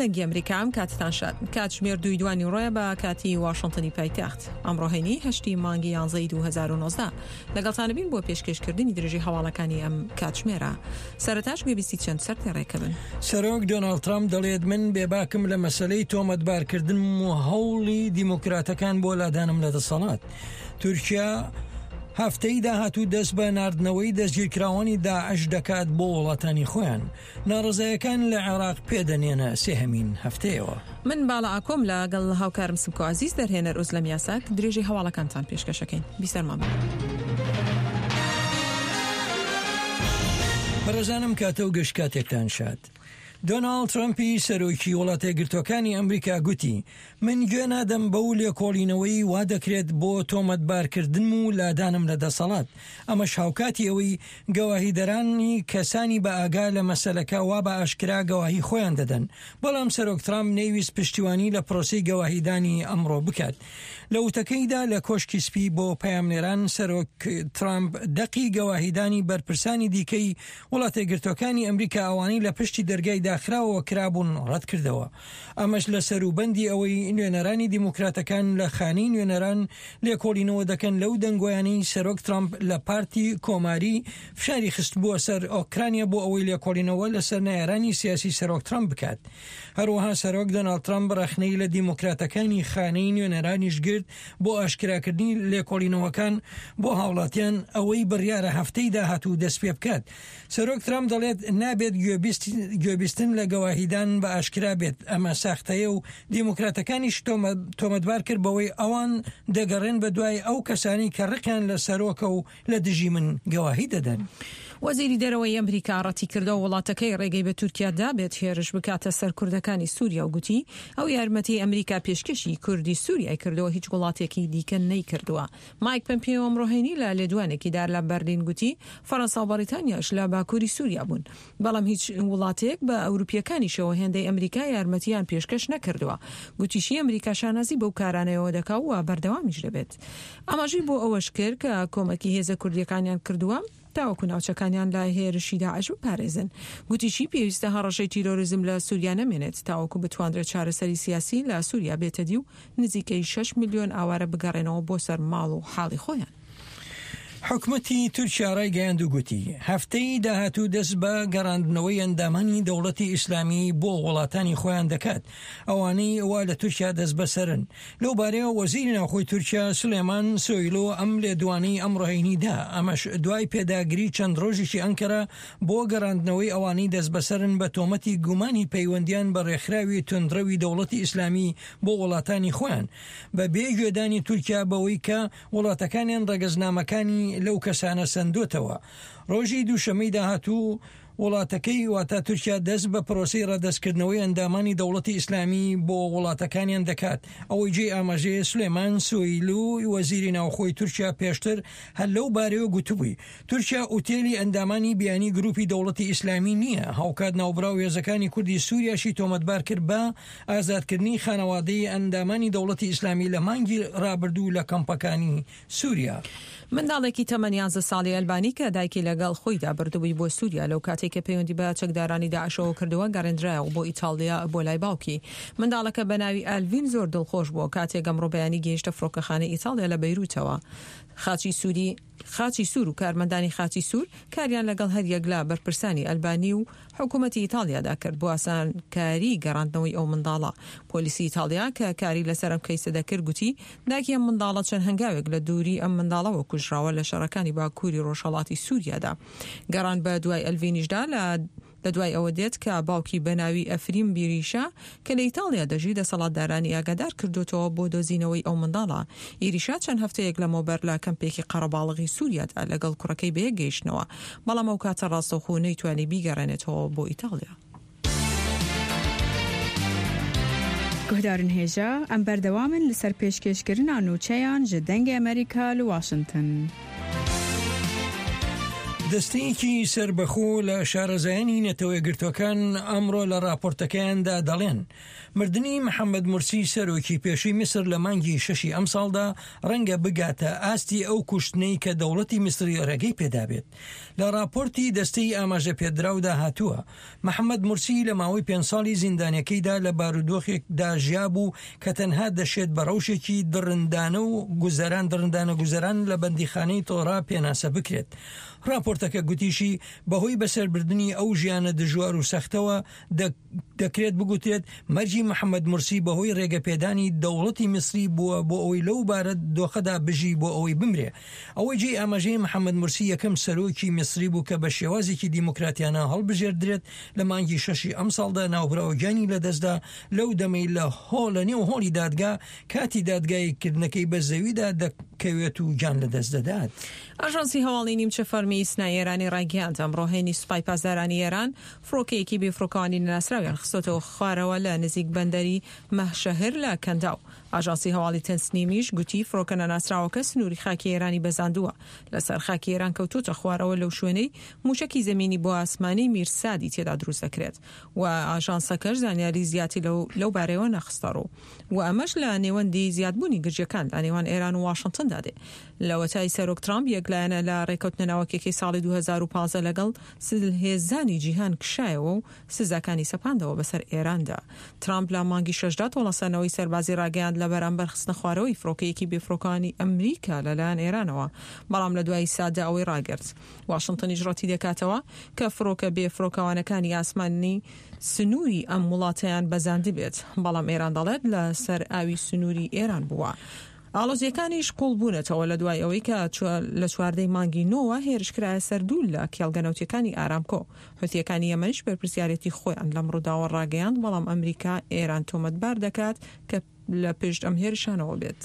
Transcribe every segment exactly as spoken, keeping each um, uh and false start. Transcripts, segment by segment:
دەنگی ئەمریکا ئەم کاتتان شاد. کاتژمێر دووی دوانی ڕۆیە بە کاتی واشنتنی پایتەخت. ئەمڕۆ هەینی هەشتی مانگی یانزەی دوو هەزار و نۆزدە. لەگەڵتانە بین بۆ پێشکێشکردنی درێژەی هەواڵەکانی ئەم کاتژمێرە. سەرەتاش گوێبیستی چەند سەرتێڕێکە بن. سەرۆک دۆناڵد ترامپ دەڵێت من بێباکم لە مەسەلەی تۆمەتبارکردنم و هەوڵی دیموکراتەکان بۆ لادانم لە دەسەڵات. تورکیا هەفتەی داهاتوو دەست بە ناردنەوەی دەستگیرکراوانی داعش دەکات بۆ وڵاتانی خۆیان. ناڕەزایەکان لە عێراق پێدەنێنە سێهەمین هەفتەیەوە. من باڵا ئاکۆم لەگەڵ هاوکارم سمکۆ عەزیز دەرهێنەر ئۆزلەم یاساک درێژەی هەواڵەکانتان پێشکەشەکەین. بیسەرمان بن. بەڕێزانم کاتە و گشت کاتێکتان شاد. دۆناڵد ترەمپی سەرۆکی وڵاتە یەکگرتووەکانی ئەمریکا گوتی من گوێ نادەم بەو لێکۆڵینەوەی وا دەکرێت بۆ تۆمەتبارکردنم و لادانم لە دەسەڵات. ئەمەش هاوکاتی ئەوەی گەواهیدەرانی کەسانی بە ئاگا لە مەسەلەکە وا بە ئاشکرا گەواهی خۆیان دەدەن. بەڵام سەرۆک ترامپ نەیویست پشتیوانی لە پرۆسەی گەواهیدانی ئەمڕۆ بکات. لە وتەکەیدا لە کۆشکی سپی بۆ پەیامنێران سەرۆک ترامپ دەقی گەواهیدانی بەرپرسانی دیکەی وڵاتە یەکگرتووەکانی ئەمریکا ئەوانەی لە پشتی دەرگای داخراوەوە کرابوون ڕەت کردەوە. ئەمەش لە سەروبەندی ئەوەی نوێنەرانی دیموکراتەکان لە خانەی نوێنەران لێکۆڵینەوە دەکەن لەو دەنگۆیانەی سەرۆک ترامپ لە پارتی کۆماری فشاری خستبووە سەر ئۆکرانیا بۆ ئەوەی لێکۆڵینەوە لەسەر نەیارانی سیاسی سەرۆک ترامپ بکات. هەروەها سەرۆک دۆناڵد ترامپ ڕەخنەی لە دیموکراتەکانی خانەی نوێنەرانیش گرت بۆ ئاشکراکردنی لێکۆڵینەوەکان بۆ هاوڵاتیان ئەوەی بڕیارە هەفتەی داهاتوو دەست پێ بکات. سەرۆک ترامپ دەڵێت نابێت گوێبیستن لە گەواهیدان بە ئاشکرا بێت، ئەمە ساختەیە و دیموکراتەکانیش تۆمەتبار کرد بەوەی ئەوان دەگەڕێن بە دوای ئەو کەسانی کە ڕقیان لە سەرۆکە و لە دژی من گەواهی دەدەن. وەزیری دەرەوەی ئەمریکا ڕەتی کردەوە وڵاتەکەی ڕێگەی بە تورکیا دابێت هێرش بکاتە سەر کوردەکانی سووریا و گوتی ئەو یارمەتی ئەمریکا پێشکەشی کوردی سووریای کردەوە هیچ وڵاتێکی دیکە نەیکردووە. مایک پەمپیۆ ئەمڕۆ هەینی لە لێدوانێکیدا لە بەرلین گوتی فەرەنسا و بەریتانیاش لە باکووری سووریا بوون، بەڵام هیچ وڵاتێک بە ئەوروپیەکانیشەوە هێندەی ئەمریکا یارمەتیان پێشکەش نەکردووە. گوتیشی ئەمریکا شانازی بەو کارانەیەوە دەکا و بەردەوامیش دەبێت. ئاماژەی بۆ ئەوەش کرد کە کۆمەکی هێزە کوردیەکانیان کردووە تاوەکو ناوچەکانیان لە هێرشی داعش بپارێزن. گوتیشی پێویستە هەڕەشەی تیرۆریزم لە سووریا نەمێنێت تاوەکو بتواندرێت چارەسەری سیاسی لە سووریا بێتەدی و نزیکەی شەش ملیۆن ئاوارە بگەڕێنەوە بۆ سەر ماڵ و حاڵی خۆیان. حکومەتی تورکیا ڕایگەیاند و گوتی هەفتەی داهاتوو دەست بە گەڕاندنەوەی ئەندامانی دەوڵەتی ئیسلامی بۆ وڵاتانی خۆیان دەکات، ئەوانەی وا لە تورکیا دەست بەسەرن. لەو بارەیەوە وەزیری ناوخۆی تورکیا سلێمان سۆیلۆ ئەم لێدوانەی ئەمڕۆ هەینی دا، ئەمەش دوای پێداگری چەند ڕۆژێکی ئەنکەرە بۆ گەڕاندنەوەی ئەوانەی دەست بەسەرن بە تۆمەتی گومانی پەیوەندیان بە ڕێکخراوی توندڕەوی دەوڵەتی ئیسلامی بۆ وڵاتانی خۆیان، بە بێ گوێدانی تورکیا بەوەی کە وڵاتەکانیان ڕەگەزنامەکانی لەو کەسانە سەندۆتەوە. ڕۆژی دووشەمەی داهاتوو وڵاتەکەی واتە تورکیا دەست بە پرۆسەی ڕەدەستکردنەوەی ئەندامانی دەوڵەتی ئیسلامی بۆ وڵاتەکانیان دەکات. ئەوەی جێی ئاماژەیە سلێمان سۆیلو وەزیری ناوخۆی تورکیا پێشتر هەر لەو بارەیەوە گوتبووی تورکیا ئوتێلی ئەندامانی بیانی گروپی دەوڵەتی ئیسلامی نییە. هاوکات ناوبراو هێزەکانی کوردی سووریاشی تۆمەتبار کرد بە ئازادکردنی خانەوادەی ئەندامانی دەوڵەتی ئیسلامی لە مانگی ڕابردوو لە کەمپەکانی سووریا. منداڵێکی تەمەن یانزە ساڵی ئەلبانی کە دایکی لەگەڵ خۆیدا بردبووی بۆ سووریا لەو کاتێک کە پەیوەندی بە چەکدارانی داعشەوە کردووە گەڕێندرایەوە بۆ ئیتاڵیا بۆ لای باوکی. منداڵەکە بە ناوی ئالڤین زۆر دڵخۆش بووە کاتێک ئەمڕۆ بەیانی گەیشتە فڕۆکەخانەی ئیتاڵیا لە بەیروتەوە. خاچی سووری خاچی سوور و کارمەندانی خاچی سوور کاریان لەگەڵ هەریەک لە بەرپرسانی ئەلبانی و حکوومەتی ئیتاڵیادا کرد بۆ ئاسانکاری گەڕاندنەوەی ئەو منداڵە. پۆلیسی ئیتاڵیا کە کاری لەسەر ئەم کەیسە دەکرد گوتی داکی ئەم منداڵە چەند هەنگاوێک لە دووری ئەم منداڵەوە کوژراوە لە شەڕەکانی باکووری ڕۆژهەڵاتی سووریادا. گەڕان بە دوای ئەلڤینیشدا لە لە دوای ئەوە دێت کە باوکی بەناوی ئەفریم بیریشا کە لە ئیتاڵیا دەژی دەسەڵاتدارانی ئاگادار کردوتەوە بۆ دۆزینەوەی ئەو منداڵە. ئیریشا چەند هەفتەیەک لەمەوبەر لە کەمپێکی قەرەباڵغی سووریادا لەگەڵ کوڕەکەی بەیەک گەیشتنەوە، بەڵام ئەو کاتە ڕاستەوخۆ نەیتوانی بیگەڕێنێتەوە بۆ ئیتاڵیا. گوهدارن هێژا ئەم بەردەوامن لەسەر پێشکێشکردنا نوچەیان ji دەنگی ئەمریکا لە واشنگتن. دەستەیەکی سەربەخۆ لە شارەزایانی نەتەوە یەکگرتووەکان ئەمڕۆ لە ڕاپۆرتەکەیاندا دەڵێن مردنی محەممەد مورسی سەرۆکی پێشووی میسر لە مانگی شەشی ئەمساڵدا ڕەنگە بگاتە ئاستی ئەو کوشتنەی کە دەوڵەتی میسری ڕێگەی پێدابێت. لە ڕاپۆرتی دەستەی ئاماژە پێدراودا هاتووە محەممەد مورسی لە ماوەی پێنج ساڵی زیندانیەکەیدا لە بارودۆخێکدا ژیابوو کە تەنها دەشێت بە ڕەوشێکی دڕندانە و گوزەران دڕندانە گوزەران لە بەندیخانەی تۆرا پێناسە بکرێت. ڕاپۆرتەکە گوتیشی بەهۆی بەسەربردنی ئەو ژیانە دژوار و سەختەوە دەکرێت بگوترێت مەرگی محەممەد مورسی بەهۆی ڕێگەپێدانی دەوڵەتی میسری بووە بۆ ئەوەی لەو بارە دۆخەدا بژی بۆ ئەوەی بمرێ. ئەوەی جێی ئاماژەیە محەممەد مورسی یەکەم سەرۆکی میسری بوو کە بە شێوازێکی دیموکراتیانە هەڵبژێردرێت لە مانگی شەشی ئەمساڵدا ناوبراو گیانی لەدەستدا لەو دەمەی لە هۆڵ لە نێو هۆڵی دادگا کاتی دادگاییکردنەکەی بە زەویدا دەکەوێت و گیان لەدەست دەدات. ئاژانسی هەواڵی نیمچە فەرمی ئیسنای ئێرانی ڕایگەیاند ئەمڕۆ هەینی سوپای پاسدارانی ئێران فڕۆکەیەکی بێفڕۆکەوانی نەناسراویان خستۆتەوە خوارەوە لە نزیک بەندەری مەهشەهر لە کەنداو. ئاژانسی هەواڵی تەسنیمیش گوتی فڕۆکە نەناسراوەکە سنووری خاکی ئێرانی بەزاندووە، لەسەر خاکی ئێران کەوتۆتە خوارەوە لەو شوێنەی موشەکی زەمینی بۆ ئاسمانی میرسادی تێدا دروست دەکرێت و ئاژانسەکەش زانیاری زیاتری لەو بارەیەوە نەخستەڕوو و ئەمەش لە نێوەندی زیادبوونی گرژیەکان لە نێوان ئێران و واشنتندا دێ. لەوەتای سەرۆک ترامپ یەکلایەنە لە ڕێکەوتنە ناوەکیەکەی ساڵی دوو هەزار و پازدە لەگەڵ زلهێزانی جیهان کشایەوە و سزاکانی سەپاندەوە بەسەر ئێراندا. ترامپ لە مانگی شەشدا تۆڵەسەنەوەی سەربازی ڕاگەیاند لە بەرامبەر خستنە خوارەوەی فڕۆکەیەکی بێفڕۆکەوانی ئەمریکا لەلایەن ئێرانەوە، بەڵام لە دوای سادا ئەوەی ڕاگرت. واشنتنیش ڕەتی دەکاتەوە کە فڕۆکە بێفڕۆکەوانەکانی ئاسمانی سنووری ئەم وڵاتەیان بەزاندبێت، بەڵام ئێران دەڵێت لەسەر ئاوی سنووری ئێران بووە. ئاڵۆزیەکانیش قوڵ بوونەتەوە لە دوای ئەوەی کە لە چواردەی مانگی نۆوە هێرشکرایە سەر دوو لە کێڵگە نەوتیەکانی ئارامکۆ. حوثیەکانی یەمەنیش بەرپرسیارێتی خۆیان لەم ڕووداوە ڕاگەیاند، بەڵام ئەمریکا ئێران تۆمەتبار دەکات کە لە پشت ئەم هێرشانەوە بێت.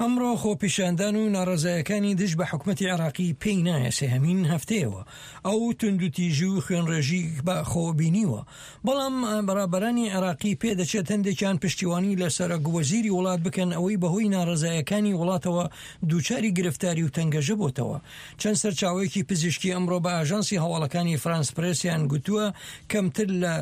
ئەمڕۆ خۆپیشاندان و ناڕەزایەکانی دژ بە حکومەتی عێراقی پێی نایە سێهەمین هەفتەیەوە ئەو توندوتیژی و خوێنڕێژی بە خۆبینیوە، بەڵام بەرابەرانی عێراقی پێدەچێت هەندێکیان پشتیوانی لە سەرۆک وەزیری وڵات بکەن ئەوەی بەهۆی ناڕەزایەکانی وڵاتەوە دووچاری گرفتاری و تەنگەژە بۆتەوە. چەند سەرچاوەیەکی پزیشکی ئەمڕۆ بە ئاژانسی هەواڵەکانی فرانس پرێسیان گوتووە کەمتر لە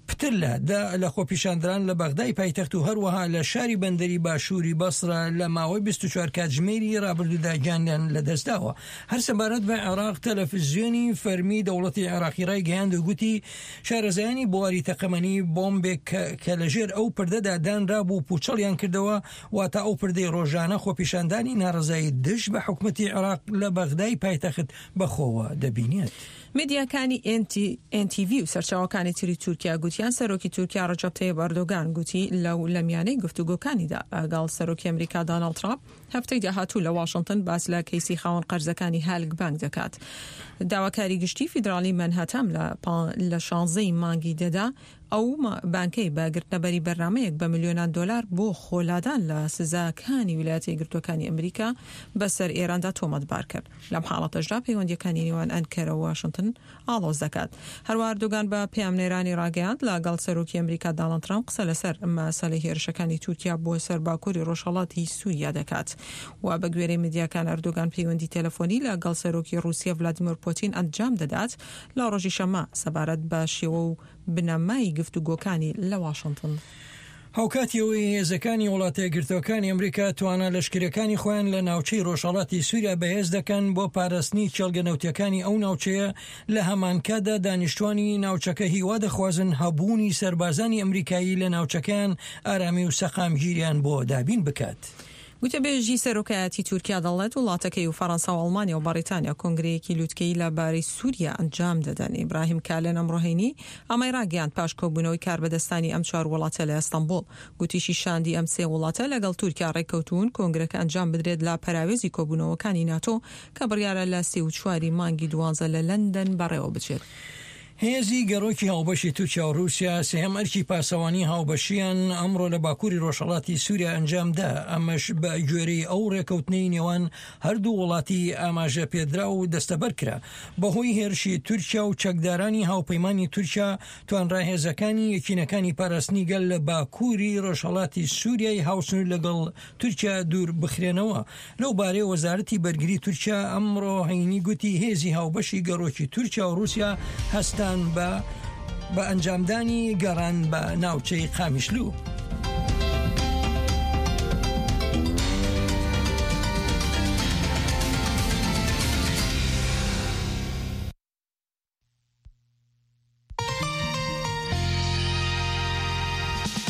پتر لە دە لە خۆپیشاندران لە بەغدای پایتەخت و هەروەها لە شاری بەندەری باشووری بەسرە لە ماوەی بیست و چوار کاتژمێری ڕابردوودا گیانیان لەدەستداوە. هەر سەبارەت بە عێراق تەلەفزیۆنی فەرمی دەوڵەتی عێراقی ڕایگەیاند و گوتی شارەزایانی بواری تەقەمەنی بۆمبێک کە لەژێر ئەو پردەدا دانرابوو پوچەڵیان کردەوە، واتە ئەو پردەی ڕۆژانە خۆپیشاندانی ناڕەزایی دژ بە حکومەتی عێراق لە بەغدای پایتەخت بەخۆوە دەبینێت. میدیاکانی ئێن تی ڤی و سەرچاوەکانی تری تورکیا گوتیان سەرۆکی تورکیا ڕەجەب تەیب ئەردۆگان گوتی لەو لەمیانەی گفتوگۆکانیدا ئەگەڵ سەرۆکی ئەمریکا داناڵد ترامپ هەفتەی داهاتوو لە واشنتن باس لە کەیسی خاوەن قەرزەکانی هالک بانک دەکات. داواکاری گشتی فیدراڵی مەنهاتام لە شانزەی مانگی دەدا ئەو بانکەی بە گرتنەبەری بەرنامەیەک بە ملیۆنان دۆلار بۆ خۆلادان لە سزاکانی ویلایەتە یەکگرتووەکانی ئەمریکا بەسەر ئێراندا تۆمەتبار کرد. لەم حاڵەتەشدا پەیوەندیەکانی نێوان ئەنکەرە و واشنتن ئاڵۆز دەکات. هەروەها ئەردۆگان بە پەیامنێرانی ڕاگەیاند لەگەڵ سەرۆکی ئەمریکا داناڵد ترامپ قسە لەسەر مەسەلەی هێرشەکانی تورکیا بۆ سەر باکووری ڕۆژهەڵاتی سووریا دەکات. و بە گوێرەی میدیاکان ئەردۆگان پەیوەندی تەلەفۆنی لەگەڵ سەرۆکی ڕووسیا ڤلادیمیر پوتین ئەنجام دەدات لە ڕۆژی شەممە سەبارەت بە شێوە و بنەمای گفتوگۆکانی لە واشنتن. هاوکاتی ئەوەی هێزەکانی وڵاتە یەکگرتووەکانی ئەمریکا توانا لەشکریەکانی خۆیان لە ناوچەی ڕۆژهەڵاتی سووریا بەهێز دەکەن بۆ پاراستنی کێڵگە نەوتیەکانی ئەو ناوچەیە، لە هەمانکاتدا دانیشتوانی ناوچەکە هیوا دەخوازن هەبوونی سەربازانی ئەمریکایی لە ناوچەکەیان ئارامی و سەقامگیریان بۆ دابین بکات. گوتەبێژی سەرۆکایەتی تورکیا دەڵێت وڵاتەکەی و فەرەنسا و ئەڵمانیا و بەریتانیا کۆنگرەیەکی لوتکەیی لە بارەی سووریا ئەنجام دەدەن. ئیبراهیم کالن ئەمڕۆ هەینی ئەمەی ڕاگەیاند پاش کۆبوونەوەی کاربەدەستانی ئەم چوار وڵاتە لە ئەستەنبوڵ. گوتیشی شاندی ئەم سێ وڵاتە لەگەڵ تورکیا ڕێککەوتون کۆنگرەکە ئەنجام بدرێت لە پەراوێزی کۆبوونەوەکانی ناتۆ کە بڕیارە لە سێ و چواری مانگی دوانزە لە لەندەن بەڕێوە بچێت. هێزی گەڕۆکی هاوبەشی تورکیا و رووسیا سێهەم ئەرکی پاسەوانی هاوبەشیان ئەمڕۆ لە باکووری ڕۆژهەڵاتی سووریا ئەنجامدا، ئەمەش بە گوێرەی ئەو ڕێکەوتنەی نێوان هەردوو وڵاتی ئاماژە پێدرا و دەستەبەر کرا. بەهۆی هێرشی تورکیا و چەکدارانی هاوپەیمانی تورکیا توانرا هێزەکانی یەکینەکانی پاراستنی گەل لە باکووری ڕۆژهەڵاتی سووریای هاوسنوور لەگەڵ تورکیا دوور بخرێنەوە. لەو بارەیە وەزارەتی بەرگری تورکیا ئەمڕۆ هەینی گوتی هێزی هاوبەشی گەڕۆکی تورکیا و رووسیا هەستان بە بە ئەنجامدانی گەڕان بە ناوچەی قامیشلو.